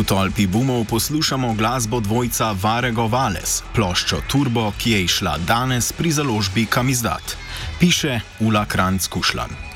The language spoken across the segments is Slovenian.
V tolpi boomov poslušamo glasbo dvojca Varego Vales, ploščo Turbo, ki je izšla danes pri založbi Kamizdat. Piše Ula Kranjc-Kušlan.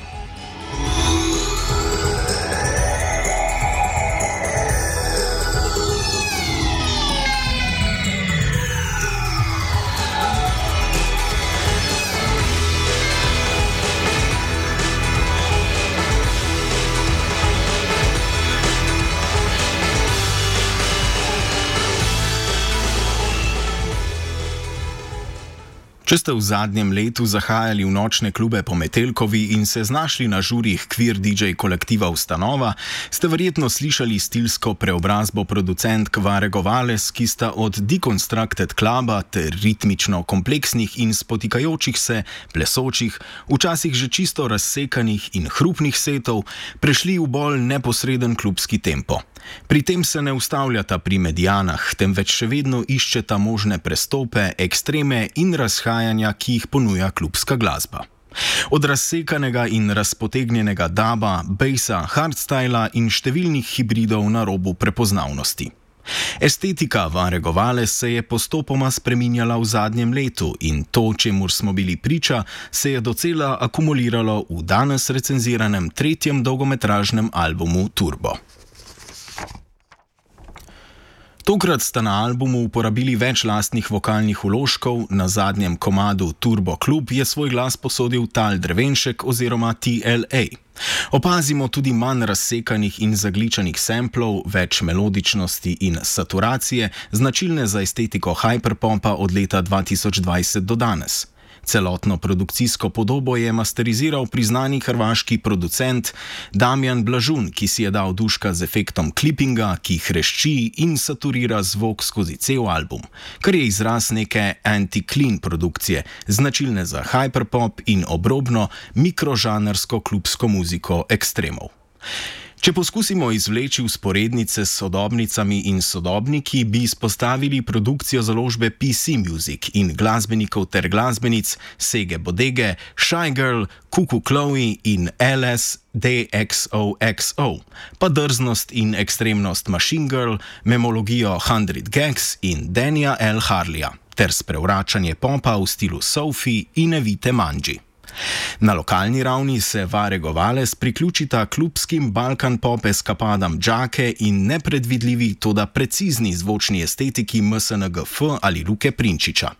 Če ste v zadnjem letu zahajali v nočne klube po Metelkovi in se znašli na žurih queer DJ kolektiva Ustanova, ste verjetno slišali stilsko preobrazbo producentk Varego Vales, ki sta od Deconstructed Cluba ter ritmično kompleksnih in spotikajočih se, plesočih, včasih že čisto razsekanih in hrupnih setov, prešli v bolj neposreden klubski tempo. Pri tem se ne ustavljata pri medijanah, temveč še vedno iščeta možne prestope, ekstreme in razhajanja, ki jih ponuja klubska glasba. Od razsekanega in razpotegnjenega daba, basa, hardstyla in številnih hibridov na robu prepoznavnosti. Estetika Varego Vales se je postopoma spreminjala v zadnjem letu in to, čemur smo bili priča, se je docela akumuliralo v danes recenziranem 3. dolgometražnem albumu Turbo. Tokrat sta na albumu uporabili več lastnih vokalnih vložkov, na zadnjem komadu Turbo Klub je svoj glas posodil Tal Drevenšek oziroma TLA. Opazimo tudi manj razsekanih in zagličanih samplov, več melodičnosti in saturacije, značilne za estetiko hyperpopa od leta 2020 do danes. Celotno produkcijsko podobo je masteriziral priznani hrvaški producent Damjan Blažun, ki si je dal duška z efektom klipinga, ki hrešči in saturira zvok skozi cel album, kar je izraz neke anti-clean produkcije, značilne za hyperpop in obrobno mikrožanrsko klubsko muziko ekstremov. Če poskusimo izvleči vzporednice s sodobnicami in sodobniki, bi izpostavili produkcijo založbe PC Music in glasbenikov ter glasbenic Sege Bodege, Shy Girl, Cuckoo Chloe in LSDXOXO, pa drznost in ekstremnost Machine Girl, memologijo 100 Gags in Danja L. Harleya, ter sprevračanje popa v stilu Sophie in Evite Manji. Na lokalni ravni se Varego Vales priključita klubskim Balkan pop eskapadam Džake in nepredvidljivi, toda precizni zvočni estetiki MSNGF ali Luke Prinčiča.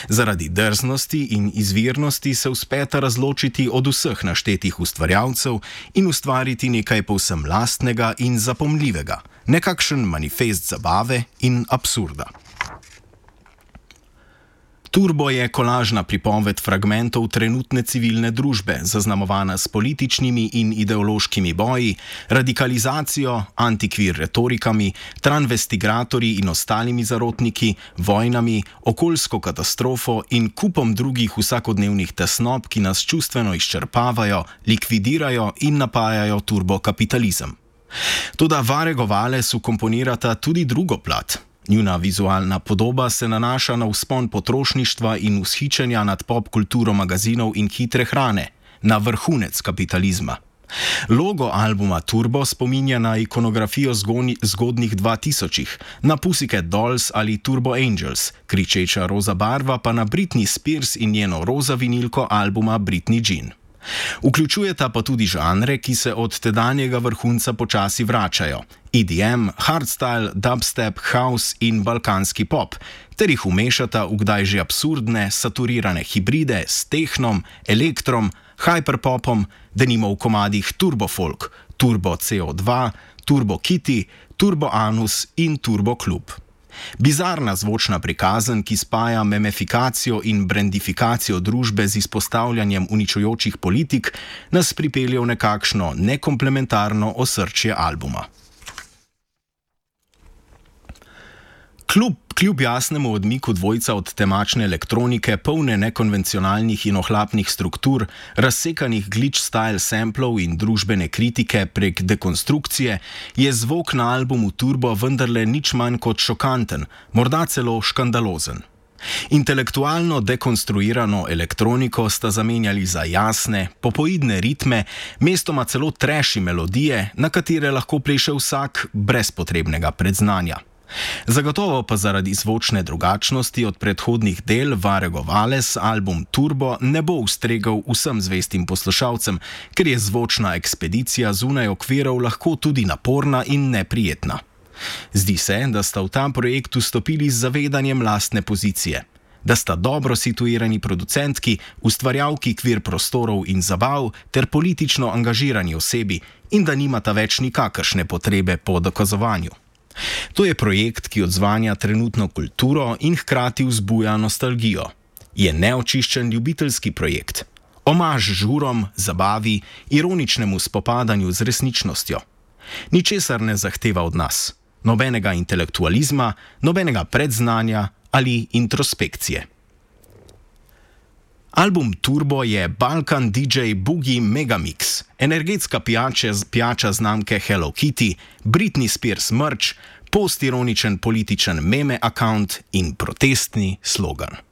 Zaradi drznosti in izvirnosti se uspeta razločiti od vseh naštetih ustvarjalcev in ustvariti nekaj povsem lastnega in zapomljivega, nekakšen manifest zabave in absurda. Turbo je kolažna pripoved fragmentov trenutne civilne družbe, zaznamovana s političnimi in ideološkimi boji, radikalizacijo, antikvir retorikami, transvestigratorji in ostalimi zarotniki, vojnami, okoljsko katastrofo in kupom drugih vsakodnevnih tesnob, ki nas čustveno izčrpavajo, likvidirajo in napajajo turbokapitalizem. Toda Varego Vales vkomponirata tudi drugo plat. Njuna vizualna podoba se nanaša na vzpon potrošništva in vzhičenja nad pop kulturo magazinov in hitre hrane, na vrhunec kapitalizma. Logo albuma Turbo spominja na ikonografijo zgodnjih 2000-ih, na Pussycat Dolls ali Turbo Angels, kričeča roza barva pa na Britney Spears in njeno roza vinilko albuma Britney Jean. Vključujeta pa tudi žanre, ki se od tedanjega vrhunca počasi vračajo: EDM, hardstyle, dubstep, house in balkanski pop, ter jih umešata v kdaj že absurdne, saturirane hibride s tehnom, elektrom, hyperpopom, denimo v komadih Turbo Folk, Turbo CO2, Turbo Kitty, Turbo Anus in Turbo Klub. Bizarna zvočna prikazen, ki spaja memefikacijo in brandifikacijo družbe z izpostavljanjem uničujočih politik, nas pripelje v nekakšno nekomplementarno osrčje albuma. Kljub jasnemu odmiku dvojca od temačne elektronike, polne nekonvencionalnih in ohlapnih struktur, razsekanih glitch-style samplov in družbene kritike prek dekonstrukcije, je zvok na albumu Turbo vendarle nič manj kot šokanten, morda celo škandalozen. Intelektualno dekonstruirano elektroniko sta zamenjali za jasne, popoidne ritme, mestoma celo trashy melodije, na katere lahko pleše vsak brez potrebnega predznanja. Zagotovo pa zaradi zvočne drugačnosti od predhodnih del Varego Vales album Turbo ne bo ustregel vsem zvestim poslušalcem, ker je zvočna ekspedicija zunaj okvirov lahko tudi naporna in neprijetna. Zdi se, da sta v ta projekt vstopili z zavedanjem lastne pozicije, da sta dobro situirani producentki, ustvarjalki kvir prostorov in zabav ter politično angažirani osebi in da nimata več nikakršne potrebe po dokazovanju. To je projekt, ki odzvanja trenutno kulturo in hkrati vzbuja nostalgijo. Je neočiščen ljubiteljski projekt. Omaž žurom, zabavi, ironičnemu spopadanju z resničnostjo. Ničesar ne zahteva od nas. Nobenega intelektualizma, nobenega predznanja ali introspekcije. Album Turbo je Balkan DJ Boogie Megamix, energetska pijača znamke Hello Kitty, Britney Spears merch, postironičen političen meme account in protestni slogan.